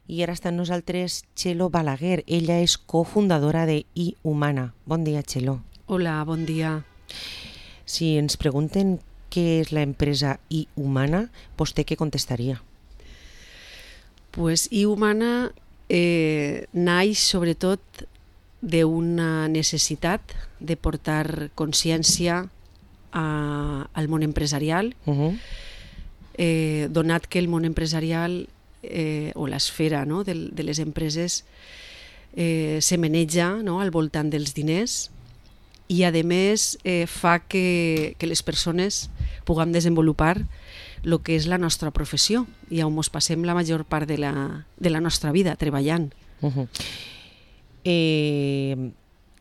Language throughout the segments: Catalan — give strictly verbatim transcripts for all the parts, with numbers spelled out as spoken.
I ara està amb nosaltres Txelo Balaguer. Ella és cofundadora de iHumana. Bon dia, Txelo. Hola, bon dia. Si ens pregunten què és l'empresa iHumana, vostè què contestaria? Pues iHumana eh, naix sobretot d'una necessitat de portar consciència a, al món empresarial, Uh-huh. eh, donat que el món empresarial eh, o l'esfera, no, de, de les empreses eh, se maneja, no, al voltant dels diners i a més eh, fa que, que les persones puguem desenvolupar el que és la nostra professió i on ens passem la major part de la, de la nostra vida treballant. Uh-huh. Eh,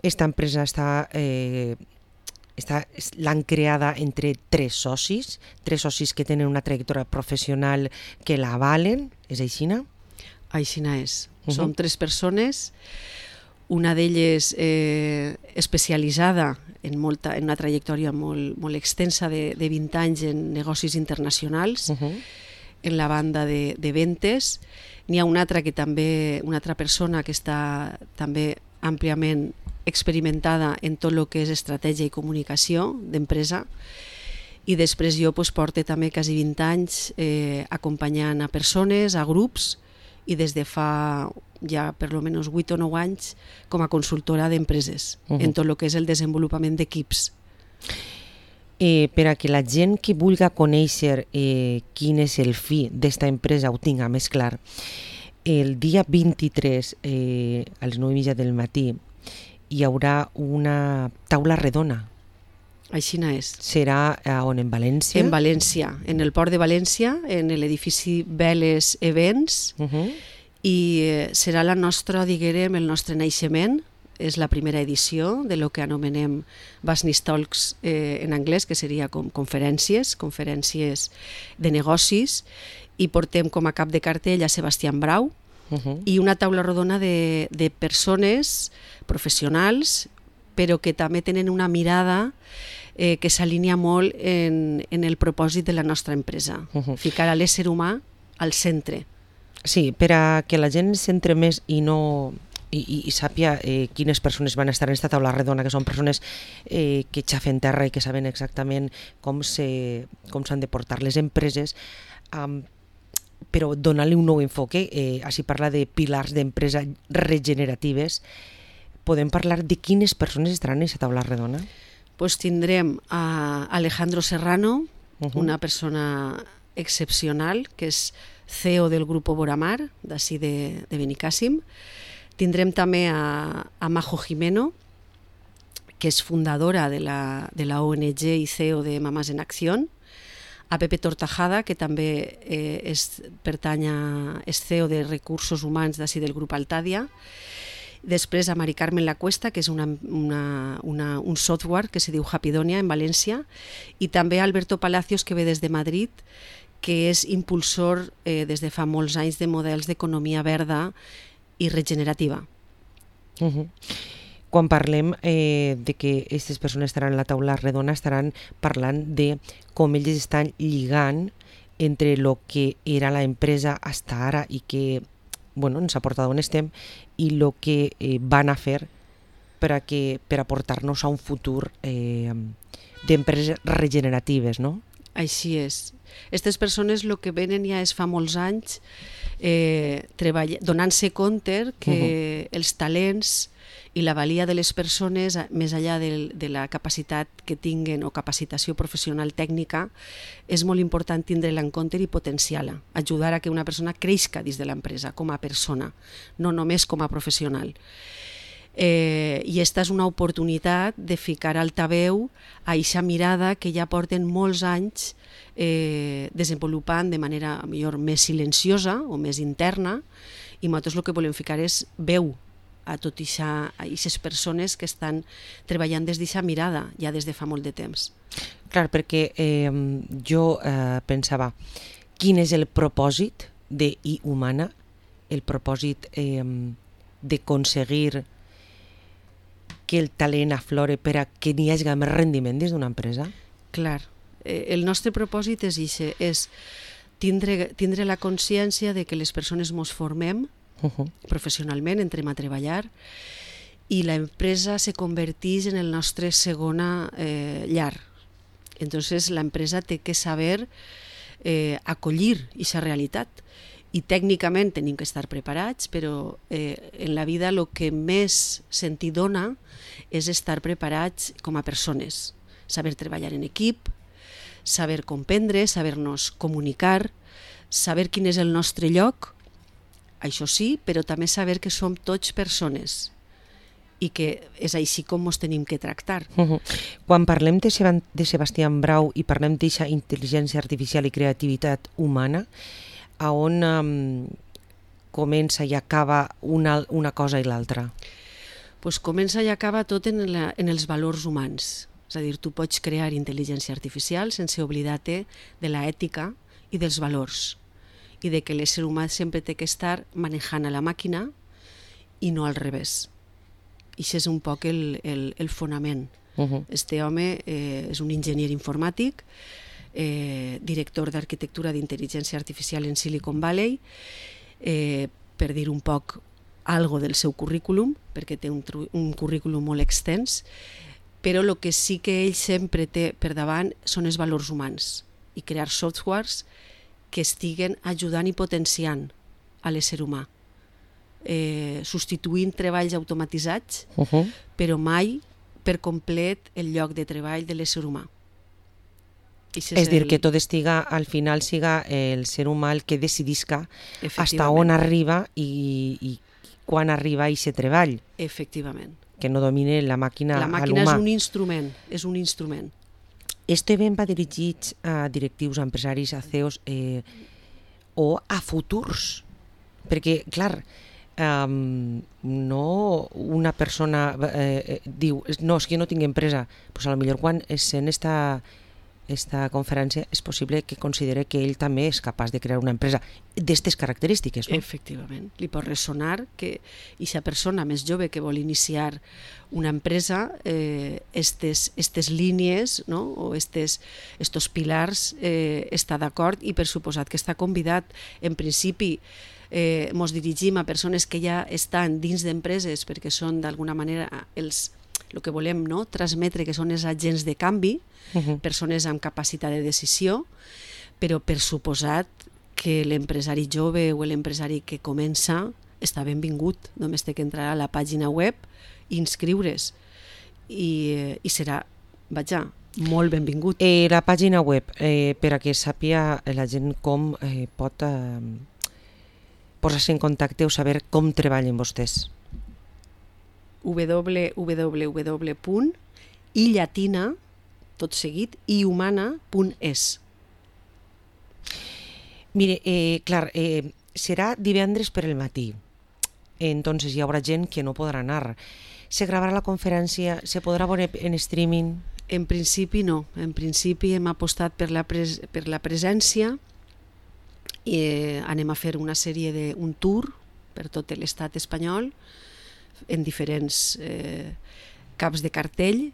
esta empresa està... Eh, Està, l'han creada entre tres socis, tres socis que tenen una trajectòria professional que la avalen, és així, no? Aixina és. Uh-huh. Som tres persones, una d'elles eh, especialitzada en, molta, en una trajectòria molt, molt extensa de, de vint anys en negocis internacionals, Uh-huh. en la banda de, de ventes. N'hi ha una altra que també, una altra persona que està també àmpliament experimentada en tot el que és estratègia i comunicació d'empresa, i després jo pues, porto també quasi vint anys eh, acompanyant a persones, a grups, i des de fa ja per almenys vuit o nou anys com a consultora d'empreses, Uh-huh. en tot el que és el desenvolupament d'equips. Eh, per a que la gent que vulgui conèixer eh, quin és el fi d'esta empresa ho tinga més clar, el dia vint-i-tres eh, a les nou i mitja del matí hi haurà una taula redona. Aixina és. Serà a on, en València? En València, en el port de València, en l'edifici Veles Events, Uh-huh. i eh, serà la nostra, diguem, el nostre naixement. És la primera edició de lo que anomenem Business Talks eh, en anglès, que seria com conferències, conferències de negocis, i portem com a cap de cartell a Sebastián Brau, Uh-huh. i una taula rodona de, de persones professionals, però que també tenen una mirada eh, que s'alinea molt en, en el propòsit de la nostra empresa, Uh-huh. ficar a l'ésser humà al centre. Sí, per a que la gent s'entre més i no... i, i, i sàpia eh, quines persones van estar en aquesta taula redona, que són persones eh, que xafen terra i que saben exactament com se, com s'han de portar les empreses, um, però donar-li un nou enfoque. Eh, així parla de pilars d'empresa regeneratives. Podem parlar de quines persones estaran en aquesta taula redona? Pues tindrem a Alejandro Serrano, Uh-huh. una persona excepcional, que és C E O del grup Boramar, d'ací de, de Benicàssim. Tindrem també a, a Majo Jimeno, que és fundadora de la, de la O N G i C E O de Mamás en Acción, a Pepe Tortajada, que també eh, és, pertany a, és C E O de Recursos Humans d'ací del grup Altàdia. Després a Mari Carmen Lacuesta, que és una, una, una, un software que se diu Hapidonia en València, i també a Alberto Palacios, que ve des de Madrid, que és impulsor eh, des de fa molts anys de models d'economia verda i regenerativa. Uh-huh. Quan parlem eh, de que aquestes persones estaran a la taula redona, estaran parlant de com ells estan lligant entre el que era la empresa hasta ara i que bueno, ens ha portat on estem, i el que eh, van a fer per a, que, per a portar-nos a un futur eh, d'empreses regeneratives, no? Així és. Aquestes persones el que venen ja és fa molts anys eh, treball... donant-se compte que uh-huh. els talents i la valia de les persones, més enllà de, de la capacitat que tinguen o capacitació professional tècnica, és molt important tindre-la en compte i potenciar-la, ajudar a que una persona creixca dins de l'empresa com a persona, no només com a professional. Eh, I esta és una oportunitat de ficar altaveu a eixa mirada que ja porten molts anys eh, desenvolupant de manera millor més silenciosa o més interna, i nosaltres el que volem ficar és veu a tot això, a aquestes persones que estan treballant des d'aquesta mirada ja des de fa molt de temps. Clar, perquè eh, jo eh, pensava, quin és el propòsit de iHumana, el propòsit eh, d'aconseguir que el talent aflore per a que n'hi hagi més rendiment dins d'una empresa? Clar, eh, el nostre propòsit és, ixe, és tindre, tindre la consciència de que les persones ens formem Uh -huh. Professionalment entrem a treballar i l'empresa se converteix en el nostre segona eh, llar. Entonces l'empresa té que saber eh, acollir aquesta realitat i tècnicament tenim que estar preparats, però eh, en la vida el que més sentit dona és estar preparats com a persones, saber treballar en equip, saber comprendre, saber-nos comunicar, saber quin és el nostre lloc, això sí, però també saber que som tots persones i que és així com ens tenim que tractar. Uh -huh. Quan parlem de, Seb de Sebastián Brau i parlem d'aquesta intel·ligència artificial i creativitat humana, a on um, comença i acaba una, una cosa i l'altra? Pues comença i acaba tot en, la, en els valors humans. És a dir, tu pots crear intel·ligència artificial sense oblidar-te de l'ètica i dels valors i de que l'ésser humà sempre té que estar manejant a la màquina i no al revés. I això és un poc el, el, el fonament. Uh -huh. Este home eh, és un enginyer informàtic, eh, director d'arquitectura d'intel·ligència artificial en Silicon Valley, eh, per dir un poc algo del seu currículum, perquè té un, un currículum molt extens, però el que sí que ell sempre té per davant són els valors humans i crear softwares que estiguen ajudant i potenciant a l'ésser humà, eh, substituint treballs automatitzats, uh -huh. però mai per complet el lloc de treball de l'ésser humà. És, és dir, el... que tot estiga, al final siga el ser humà el que decidisca hasta on arriba i, i quan arriba a aquest treball. Efectivament. Que no domine la màquina a l'humà. La màquina és un instrument, és un instrument. Este event va dirigit a directius, a empresaris, a C E Os eh, o a futurs? Perquè, clar, um, no una persona eh, diu, no, és que jo no tinc empresa, doncs a lo millor quan es sent esta, esta conferència és possible que considere que ell també és capaç de crear una empresa d'aquestes característiques, no? Efectivament. Li pot ressonar que aquesta persona més jove que vol iniciar una empresa, eh, estes, estes línies, no? O estes, estos pilars eh, està d'acord i per suposat que està convidat. En principi eh, mos dirigim a persones que ja estan dins d'empreses perquè són d'alguna manera els el que volem, no? Transmetre que són els agents de canvi, uh -huh. persones amb capacitat de decisió, però per suposat que l'empresari jove o l'empresari que comença està benvingut, només té que entrar a la pàgina web i inscriure's i, i serà, vaja, molt benvingut. Eh, la pàgina web, eh, per a que sàpia la gent com eh, pot eh, posar-se en contacte o saber com treballen vostès. w w w punt i llatina, tot seguit, i humana punt es. Mire, eh, clar, eh, serà divendres per el matí, entonces hi haurà gent que no podrà anar. Se gravarà la conferència, se podrà veure en streaming? En principi no, en principi hem apostat per la, pres per la presència i eh, anem a fer una sèrie de, un tour per tot l'estat espanyol, en diferents eh, caps de cartell.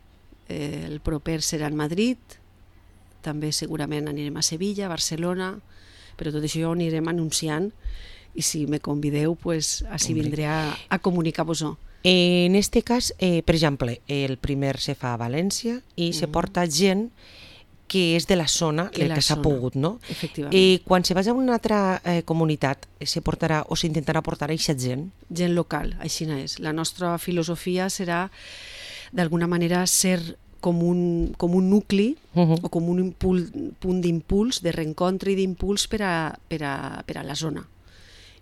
Eh, el proper serà en Madrid, també segurament anirem a Sevilla, Barcelona, però tot això ho anirem anunciant i si me convideu, pues, així vindré a, a comunicar-vos-ho. En este cas, eh, per exemple, el primer se fa a València i mm-hmm. se porta gent que és de la zona, que, la que s'ha pogut, no? Efectivament. Eh, quan se vagi a una altra eh, comunitat, se portarà o s'intentarà portar a aquesta gent? Gent local, així és. La nostra filosofia serà, d'alguna manera, ser com un, com un nucli uh-huh. o com un impul, punt d'impuls, de reencontre i d'impuls per a, per, a, per a la zona.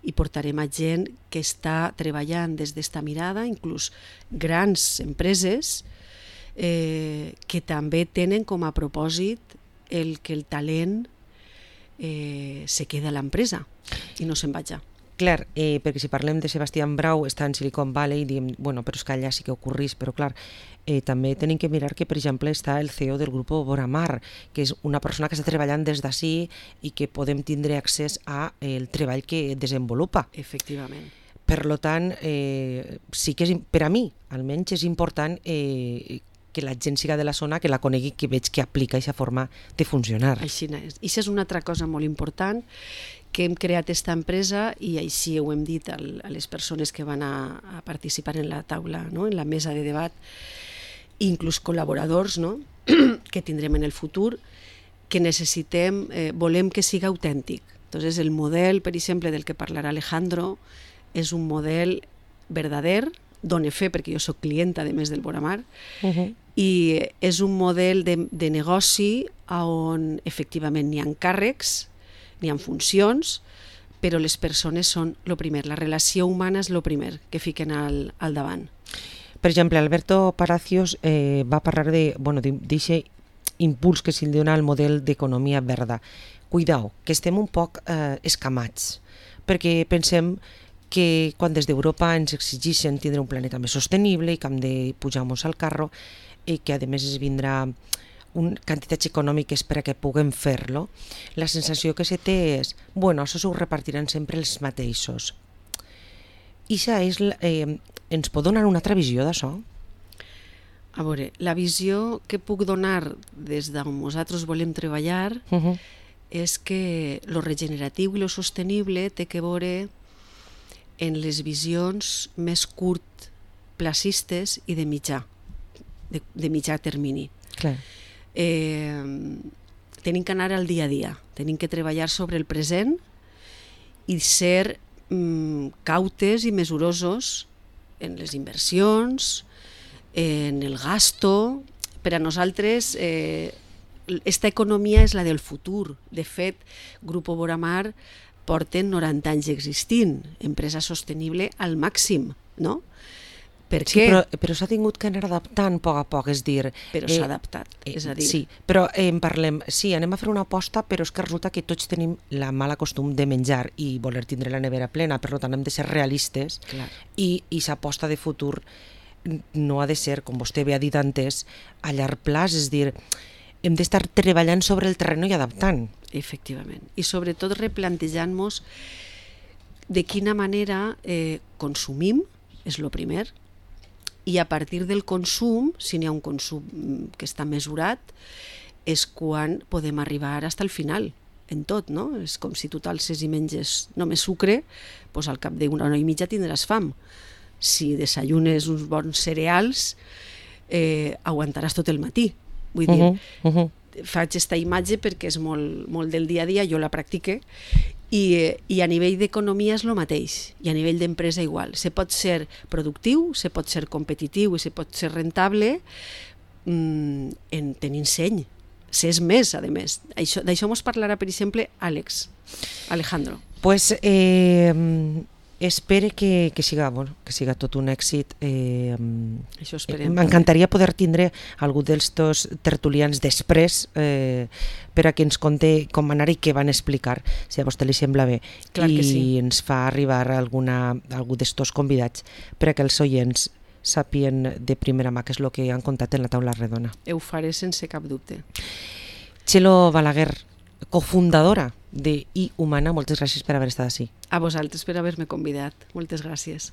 I portarem a gent que està treballant des d'esta mirada, inclús grans empreses, Eh, que també tenen com a propòsit el que el talent eh, se queda a l'empresa i no se'n vaja. Clar, eh, perquè si parlem de Sebastián Brau, està en Silicon Valley, diem, bueno, però és que allà sí que ocorrís, però clar, eh, també tenim que mirar que, per exemple, està el C E O del grup Boramar, que és una persona que està treballant des d'ací i que podem tindre accés a el treball que desenvolupa. Efectivament. Per tant, eh, sí que és, per a mi, almenys és important eh, que la gent siga de la zona, que la conegui, que veig que aplica aquesta forma de funcionar. Així és. I això és una altra cosa molt important, que hem creat aquesta empresa i així ho hem dit a les persones que van a, a participar en la taula, no? En la mesa de debat, inclús col·laboradors, no? Que tindrem en el futur, que necessitem, eh, volem que siga autèntic. Entonces, el model, per exemple, del que parlarà Alejandro, és un model verdader, done fe, perquè jo soc clienta, a més del Boramar, uh-huh. i és un model de, de negoci on efectivament n'hi ha càrrecs, n'hi ha funcions, però les persones són el primer, la relació humana és el primer que fiquen al, al davant. Per exemple, Alberto Palacios eh, va parlar de, bueno, d'aquest impuls que se'l dona al model d'economia verda. Cuidao, que estem un poc eh, escamats, perquè pensem que quan des d'Europa ens exigeixen tindre un planeta més sostenible i que hem de pujar-nos al carro i que a més es vindrà un, quantitats econòmiques per a que puguem fer-lo, la sensació que se té és, bueno, això s'ho repartiran sempre els mateixos. I això és, eh, ens pot donar una altra visió d'això? A veure, la visió que puc donar des d'on nosaltres volem treballar uh-huh. és que lo regeneratiu i lo sostenible té que veure en les visions més curtplacistes i de mitjà, de, de mitjà termini. Clar. Eh, tenim que anar al dia a dia, tenim que treballar sobre el present i ser mm, cautes i mesurosos en les inversions, en el gasto. Per a nosaltres eh, esta economia és la del futur. De fet, Grupo Boramar porten noranta anys existint, empresa sostenible al màxim, no? Per sí, què? Però, però s'ha tingut que anar adaptant a poc a poc, és dir... Però eh, s'ha adaptat, eh, és a dir... Sí, però eh, en parlem, sí, anem a fer una aposta, però és que resulta que tots tenim la mala costum de menjar i voler tindre la nevera plena, per tant hem de ser realistes. Clar. i, i s'aposta de futur no ha de ser, com vostè bé ha dit antes, a llarg plaç, és dir, hem d'estar treballant sobre el terreny i adaptant. Efectivament, i sobretot replantejant-nos de quina manera eh, consumim, és el primer, i a partir del consum, si n'hi ha un consum que està mesurat, és quan podem arribar fins al final, en tot, no? És com si tu t'alces i menges només sucre, doncs al cap d'una hora i mitja tindràs fam. Si desayunes uns bons cereals, eh, aguantaràs tot el matí. Vull dir, uh-huh, uh-huh. faig aquesta imatge perquè és molt, molt del dia a dia, jo la practique, i, i a nivell d'economia és el mateix, i a nivell d'empresa igual. Se pot ser productiu, se pot ser competitiu i se pot ser rentable mmm, en tenint seny. S'és més, a més. D'això mos parlarà, per exemple, Àlex, Alejandro. Pues eh, espere que, que, siga, bueno, que siga tot un èxit. Eh, Això esperem. M'encantaria poder tindre algú dels dos tertulians després eh, per a que ens conte com anar i què van explicar, si a vostè li sembla bé. Clar que sí. I ens fa arribar alguna, algú d'estos convidats per a que els oients sàpien de primera mà què és el que han contat en la taula redona. Ho faré sense cap dubte. Txelo Balaguer, cofundadora de I Humana, moltes gràcies per haver estat ací. A vosaltres per haver-me convidat. Moltes gràcies.